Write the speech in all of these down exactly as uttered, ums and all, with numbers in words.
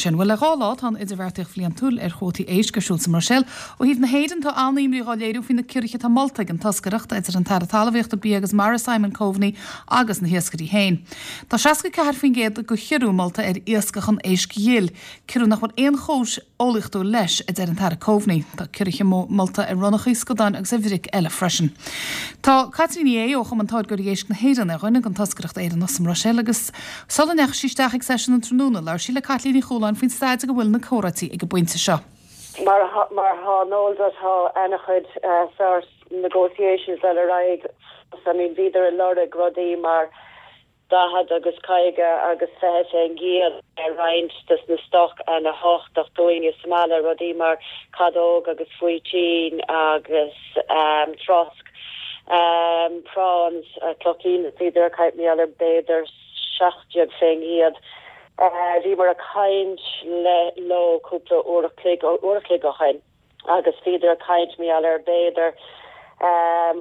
Sin bhuel le dhá lá tá an idirbheartaíocht bhliantúil ar chuótaí éisc ar siúl sa mBruiséil. Ó thaobh na hÉireann tá an-imní á léiriú faoi na ciorruithe atá molta ag an toscaireacht idir an tAire Talmhaíochta Bia agus Mara Simon Coveney agus na hiascairí féin. Tá seasca ceathair faoin gcéad de chiorrú molta ar iascach an éisc ghil, ciorrú nach bhfuil aon chúis eolaíochtúil leis a deir an tAire Coveney. Tá ciorruithe molta ar ronnachaí scadáin agus ar bhric eile freisin. Tá Caitlín Ní Aodha ó Chumann Táirgeoirí Éisc na hÉireann ar dhuine den toscaireacht Éireannach sa mBruiséil agus sula ndeachaigh sí isteach ag seisiún an tráthnóna labhair sí le Caitlín Ní Chualáin faoin staid go bhfuil na comhráití ag an bpointe seo. Mar mar tá nód tá an-chuid sort negotiations le ar aghaidh I mean bhíodar ag lorg rudaí mar daichead agus caoga agus fiche faoin gcéad ar roinnt des na stoc an-thábhachtach dúinn is mala rudaí mar cadóg agus faoitín agus um, trosc um, prawns uh, clochín bhíodar ag caint ar b'fhéidir seacht déag faoin gcéad. Uh, bhíomar ag caint le leo cúpla uair uair a chloig ó shin agus bhíodar ag caint ar b'fhéidir um,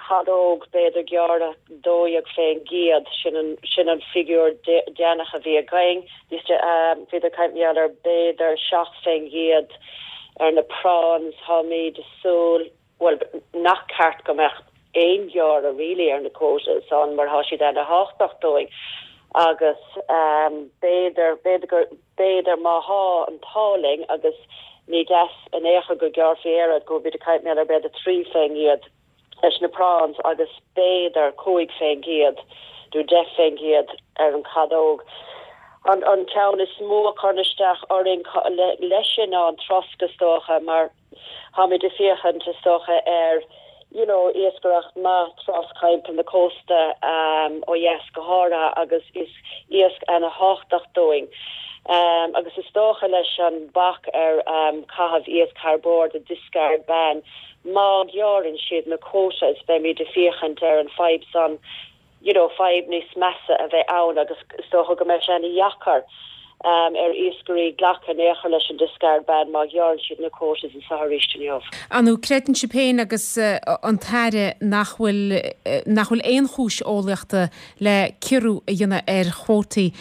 cadóg b'fhéidir gearradh dó dhéag faoin gcéad sin an sin an figiúr deireanach a bhí againn um, bhíodar ag caint ar b'fhéidir seacht faoin gcéad ar na prawns táimid súil well nach ceart go mbeadh aon ghearradh really ar na quotas an mar tá siad an-thábhachtach dúinn agus um, b'fhéidir b'fhéidir b'fhéidir má tá an t-ádh linn agus ní deas an écha go gearrfaí go bhí caint ar b'fhéidir trí faoin gcéad leis na prawns agus b'fhéidir cúig faoin gcéad nó deich faoin gcéad ar an cadóg. An an ceann is mó a chuireann isteach orainn leis sin ná an trosc is dócha mar táimid ag féachaint is dócha ar you know iascaireacht maith trosc timpeall na cósta um, ó dheas go háirithe agus is iasc an-thábhachtach dúinn. Um, agus is dócha leis an bac ar um, caitheamh iasc thar bord a discard ban má ghearrann siad na quotas beimid ag féachaint ar an fadhb san you know fadhb níos measa a bheith ann agus is dócha go mbeidh sé an-deacair um, ar iascairí glacadh néchar leis an discard ban má ghearrann siad na quotas an saoiris inniu. Anú creideann sibh féin agus uh, an tAire nach bhfuil uh, nach bhfuil aon chúis eolaíochta le ciorrú a dhéanamh ar chuótaí.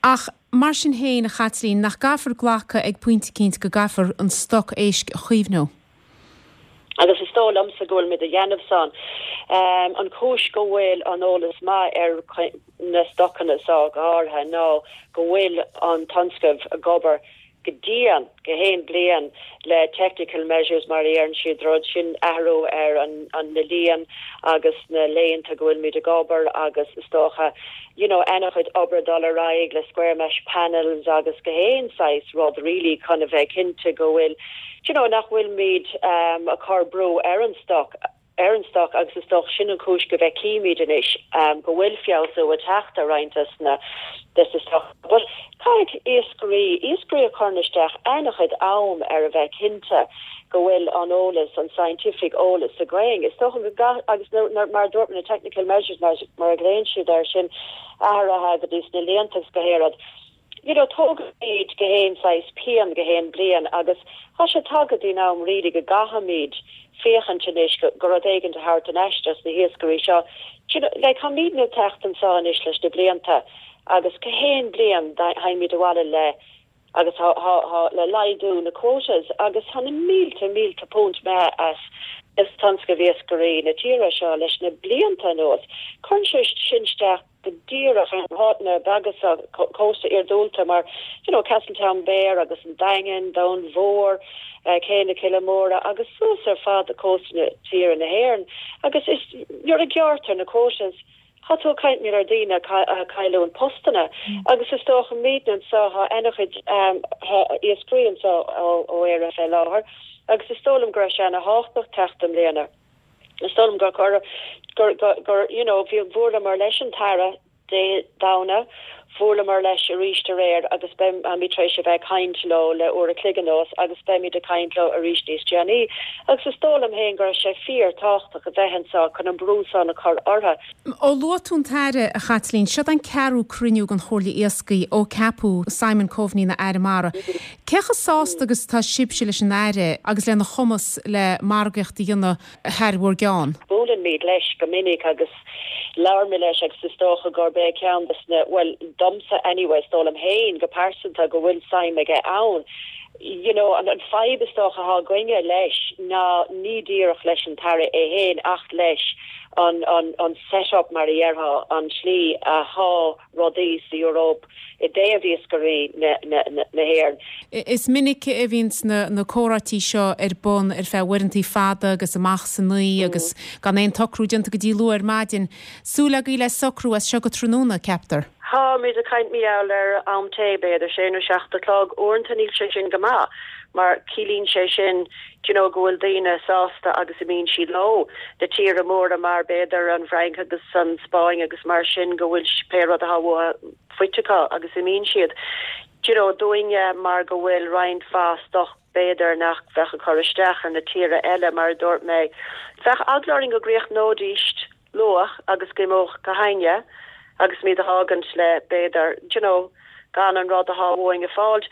Ach mar sin féin a Chaitlín nach gcaithfear glacadh ag pointe éicint go gcaithfear an stoc éisc a chaomhnú. Agus is dóigh liomsa go bhfuil muid a dhéanamh san. Um, an chúis go bhfuil an eolas maith ar na stocanna seo go háirithe ná go bhfuil an tionscal ag obair go dian gach aon bliain le technical measures mar ar siad rud sin athrú ar an an na líon agus na laethanta go bhfuil muid ag obair agus is dócha you know an-chuid obair dul ar aghaidh le square mesh panels agus gach aon saghas rud really chun a bheith cinnte go bhfuil you know nach bhfuil muid um, a chur brú ar an stoc ar an stoc agus is dócha sin an chúis go bhfeicimid anois um, go bhfuil feabhsú ag teacht ar roinnt na des stoc. But caithfidh iascairí iascairí a chur isteach an-chuid am ar a bheith cinnte go bhfuil an eolas an scientific eolas againn. Is dócha go agus mar dúirt na technical measures mar mar a ghlaonn siad ar sin athruithe go dtí na líonta go héad. You know tógaimid gach aon saghas pian gach aon bliain agus tá sé tagtha den am really go gcaithfimid féachaint anois go rud éigin a thabhairt an éisteas na hiascairí seo. You know, like táimidne ag teacht anseo anois leis na blianta agus gach aon bliain théimid abhaile le agus ha, ha, ha, le laghdú na quotas agus tá na mílte mílte punt me as is tionscal iascairí na tíre seo leis na blianta anuas. Cuireann sé sin isteach go díreach an háiteanna beaga cósta iargúlta mar you know Castletownbere agus an Daingean Dún Mór uh, Cé na Cille Móire agus suas ar fad cósta na tíre na hÉireann agus is nuair a ghearrtar na quotas tá tú ag caint ar daoine cailliúint postanna mm. agus is dócha muidne anseo tá an-chuid um, iascairí anseo ó Éire fé láthair agus is dóigh liom go raibh sé an-thábhachtach teacht i mbliana. Is dóigh liom gur gur gur gur you know bhí bhuaileamar leis an tAire Dé Domhnaigh bhuaileamar leis arís aréir agus beimid tar éis a bheith ag caint leo le uair a chloig anuas agus beimid ag caint leo arís níos déanaí. agus is dóigh liom féin go raibh sé fíorthábhachtach a bheith anseo chun an brú san a chur orthu. Ó luaigh tú an tAire a Chaitlín, seo an ceathrú cruinniú den Chomhairle Iascaigh ó ceapadh Simon Coveney ina Aire Mara. Cé chomh sásta agus tá sibhse leis an Aire agus lena chumas le margaíocht a dhéanamh thar bhur gceann. Buailimid leis go minic agus labhraímid leis agus is dócha gurb é ceann des na well domsa anyway is dóigh liom féin go pearsanta go bhfuil suim aige ann. You know, an an fadhb is dócha atá againne leis ná ní díreach leis an tAire é féin ach leis an an an setup mar a dhéarfá an slí atá rudaí sa Eoraip i dtaobh iascairí na na na hÉireann. Is minic a bhíonn na na comhráití seo ar bun ar feadh uaireanta fada agus amach san oíche agus gan aon tsocrú déanta go dtí luath ar maidin. Súil agaibh le socrú as seo go tráthnóna, ceaptar. Táimid ag caint mar gheall ar am tae b'fhéidir sé nó seacht a chlog uaireanta níl sé sin go maith mar ciallaíonn sé sin you know, go bhfuil daoine sásta agus imíonn siad leo na tíortha móra mar b'fhéidir an Fhrainc agus an Spáinn agus mar sin go bhfuil pé rud atá faighte acu agus imíonn siad. You know, dúinne mar go bhfuil roinnt mhaith stoc b'fhéidir nach bheadh ag cur isteach ar na tíortha eile mar a dúirt mé. Bheadh eagla orainn go gcríochnóidís luath agus go mbeadh go hainne agus muid a fhágaint le b'fhéidir you know, gan an rud atá uainn a fháil.